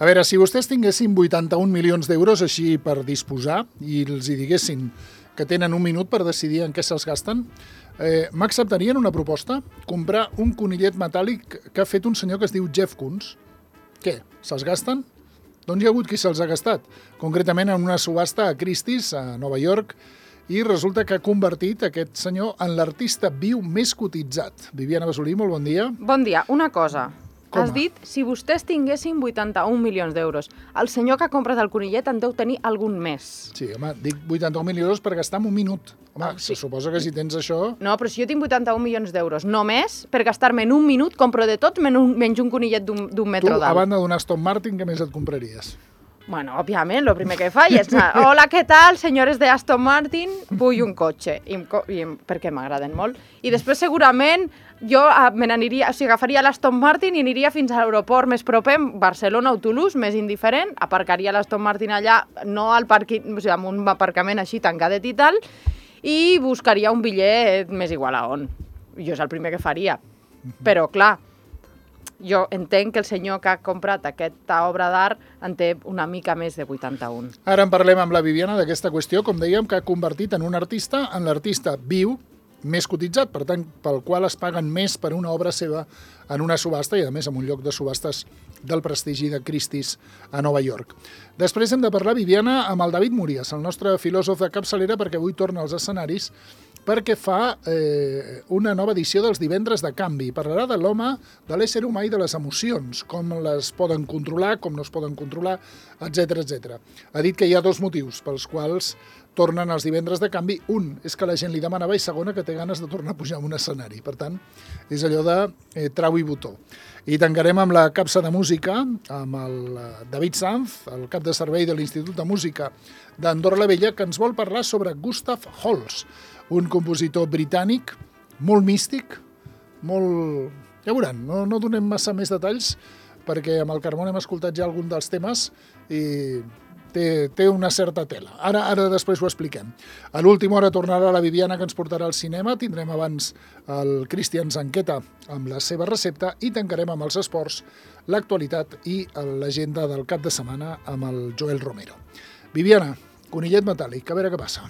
A veure, si vostès tinguessin 81 milions d'euros així per disposar i els hi diguessin que tenen un minut per decidir en què se'ls gasten, m'acceptarien una proposta? Comprar un conillet metàl·lic que ha fet un senyor que es diu Jeff Koons. Què? Se'ls gasten? Doncs hi ha hagut qui se'ls ha gastat. Concretament en una subhasta a Christie's, a Nova York, i resulta que ha convertit aquest senyor en l'artista viu més cotitzat. Viviana Besolí, molt bon dia. Bon dia. Una cosa. Com? Has dit, si vostès tinguessin 81 milions d'euros, el senyor que ha comprat el conillet en deu tenir algun més. Sí, home, dic 81 milions d'euros per gastar en un minut. Home, sí. se suposa que si tens això... No, però si jo tinc 81 milions d'euros només, per gastar-me en un minut, compro de tot menys un conillet d'un metro Tu, a d'alt. banda d'un Aston Martin, què més et compraries? Bueno, òbviament, el primer que faig és hola, què tal, senyores de Aston Martin? Vull un cotxe, perquè m'agraden molt. I després, segurament, jo me n'aniria, o sigui, agafaria l'Aston Martin i aniria fins a l'aeroport més proper, Barcelona o Toulouse, més indiferent, aparcaria l'Aston Martin allà, no al parquing, o sigui, amb un aparcament així tancadet i tal, i buscaria un bitllet més igual a on. Jo és el primer que faria. Però, clar, jo entenc que el senyor que ha comprat aquesta obra d'art en té una mica més de 81. Ara en parlem amb la Viviana d'aquesta qüestió, com dèiem, que ha convertit en un artista, en l'artista viu, més cotitzat, per tant, pel qual es paguen més per una obra seva en una subhasta i, a més, en un lloc de subhastes del prestigi de Christie's a Nova York. Després hem de parlar, Viviana, amb el David Murias, el nostre filòsof de capçalera, perquè avui torna als escenaris, perquè fa una nova edició dels Divendres de Canvi. Parlarà de l'home, de l'ésser humà i de les emocions, com les poden controlar, com no es poden controlar, etc etc. Ha dit que hi ha dos motius pels quals tornen els Divendres de Canvi. Un és que la gent li demanava i segona que té ganes de tornar a pujar a un escenari. Per tant, és allò de trau i botó. I tancarem amb la capsa de música, amb el David Sanz, el cap de servei de l'Institut de Música d'Andorra la Vella, que ens vol parlar sobre Gustav Holst, un compositor britànic, molt místic, molt... Ja veuran, no donem massa més detalls, perquè amb el Carmona hem escoltat ja algun dels temes i té una certa tela. Ara després ho expliquem. A l'última hora tornarà la Viviana, que ens portarà al cinema. Tindrem abans el Cristian Zanqueta amb la seva recepta i tancarem amb els esports, l'actualitat i l'agenda del cap de setmana amb el Joel Romero. Viviana, conillet metàl·lic, a veure què passa.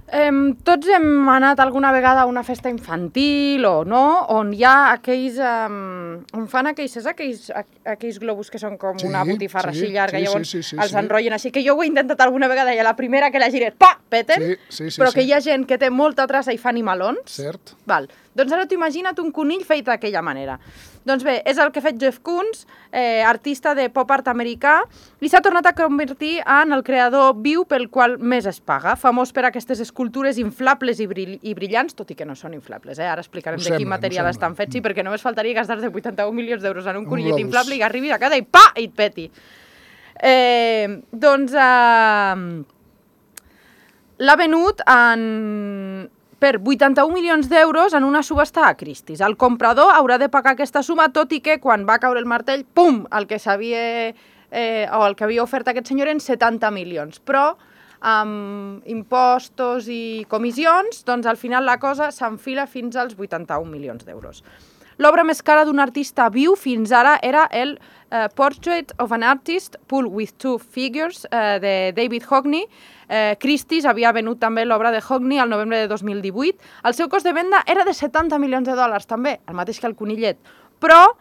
Tots hem anat alguna vegada a una festa infantil o no, on hi ha aquells... on fan aquells globus que són com una botifarra així llarga, llavors els enrotllen així, que jo ho he intentat alguna vegada i a la primera que la gires, pa, peten, però que hi ha gent que té molta traça i fa animalons. Cert. Val. Doncs ara t'ho imagina't un conill fet d'aquella manera. Doncs bé, és el que ha fet Jeff Koons, artista de pop art americà, i s'ha tornat a convertir en el creador viu pel qual més es paga, famós per aquestes escultures inflables i brillants, tot i que no són inflables, ara explicarem de quin material estan fets, sí, perquè només faltaria gastar-te 81 milions d'euros en un conillet inflable i que arribis a casa i pa, i et peti. Doncs l'ha venut per 81 milions d'euros en una subhasta a Christie's. El comprador haurà de pagar aquesta suma, tot i que quan va caure el martell, pum, el que havia ofert aquest senyor eren 70 milions. Però amb impostos i comissions, doncs al final la cosa s'enfila fins als 81 milions d'euros. L'obra més cara d'un artista viu fins ara era el Portrait of an Artist, Pull with Two Figures, de David Hockney. Christie's havia venut també l'obra de Hockney al novembre de 2018. El seu cost de venda era de 70 milions de dòlars, també, el mateix que el conillet. Però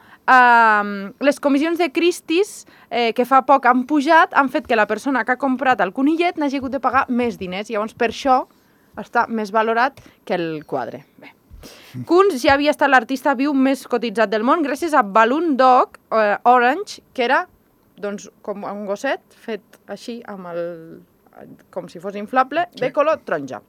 les comissions de Christie's, que fa poc han pujat, han fet que la persona que ha comprat el conillet n'hagi hagut de pagar més diners. Llavors, per això està més valorat que el quadre. Bé. Koons ja havia estat l'artista viu més cotitzat del món gràcies a Balloon Dog Orange, que era doncs, com un gosset fet així, com si fos inflable, de color taronja.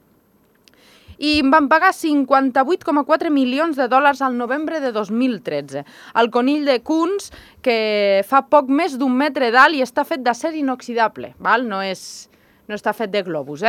I em van pagar 58,4 milions de dòlars al novembre de 2013. El conill de Koons, que fa poc més d'un metre d'alt i està fet d'acer inoxidable, val? No està fet de globus,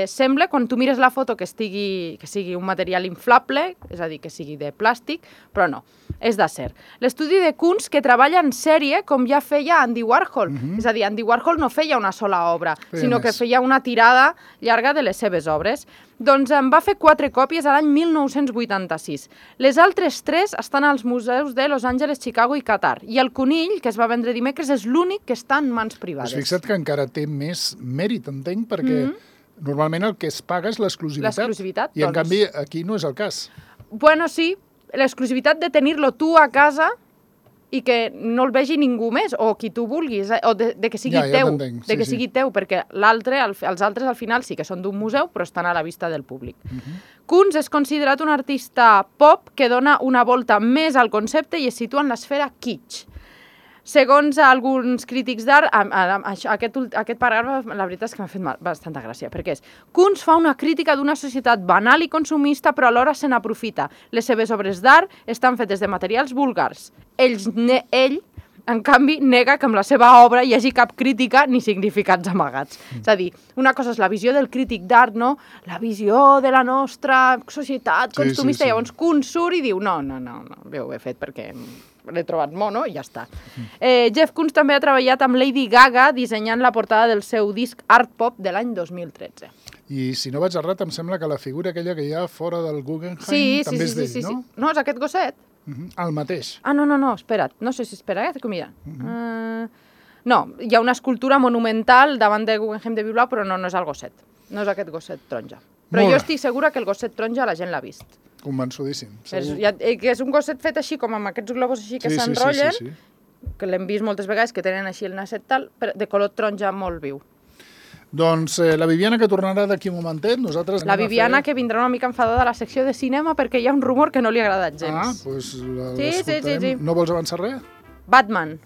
Sembla, quan tu mires la foto, que sigui un material inflable, és a dir, que sigui de plàstic, però no, és d'acer. L'estudi de Kunz, que treballa en sèrie, com ja feia Andy Warhol. És a dir, Andy Warhol no feia una sola obra, sinó que feia una tirada llarga de les seves obres. Doncs en va fer 4 còpies a l'any 1986. Les altres 3 estan als museus de Los Angeles, Chicago i Qatar. I el conill, que es va vendre dimecres, és l'únic que està en mans privades. Pues fixa't que encara té més mèrit, entenc, perquè normalment el que es paga és l'exclusivitat. I en canvi aquí no és el cas. Bueno, sí, l'exclusivitat de tenir-lo tu a casa i que no el vegi ningú més, o qui tu vulguis, o de que sigui teu, de que sigui teu, perquè els altres al final sí que són d'un museu, però estan a la vista del públic. Kunz és considerat un artista pop que dona una volta més al concepte i es situa en l'esfera kitsch. Segons alguns crítics d'art, aquest paràgraf, la veritat és que m'ha fet bastanta gràcia, perquè és: Kunz fa una crítica d'una societat banal i consumista, però alhora se n'aprofita. Les seves obres d'art estan fetes de materials vulgars. Ell, en canvi, nega que amb la seva obra hi hagi cap crítica ni significats amagats. És a dir, una cosa és la visió del crític d'art, no? La visió de la nostra societat consumista. Llavors Kunz surt i diu: no, ho he fet perquè l'he trobat mono i ja està. Jeff Kunz també ha treballat amb Lady Gaga dissenyant la portada del seu disc Art Pop de l'any 2013. I si no vaig errat, em sembla que la figura aquella que hi ha fora del Guggenheim també és d'ell, no? No, és aquest gosset. El mateix. No, espera't. No sé si espera, mira. No, hi ha una escultura monumental davant del Guggenheim de Bilbao, però no és el gosset. No és aquest gosset taronja. Però jo estic segura que el gosset taronja la gent l'ha vist. Convençudíssim. Que és un gosset fet així, com amb aquests globus així que s'enrotllen, que l'hem vist moltes vegades, que tenen així el nasset tal, de color taronja molt viu. Doncs la Viviana, que tornarà d'aquí un momentet, nosaltres... La Viviana, que vindrà una mica enfadada a la secció de cinema perquè hi ha un rumor que no li ha agradat gens. Doncs l'escoltarem. Sí. No vols avançar res? Batman.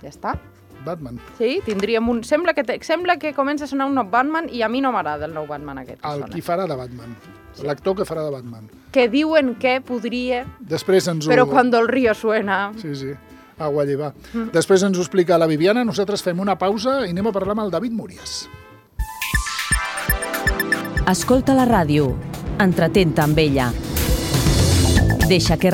Ja està. Batman. Sí, tindríem un... Sembla que comença a sonar un nou Batman i a mi no m'agrada el nou Batman aquest. Qui farà de Batman. L'actor que farà de Batman. Que diuen que podria... Després ens ho... Però cuando el río suena... Sí. Agua lleva. Després ens ho explica la Viviana, nosaltres fem una pausa i anem a parlar amb el David Múries. Escolta la ràdio, entretén-te amb ella. Deixa que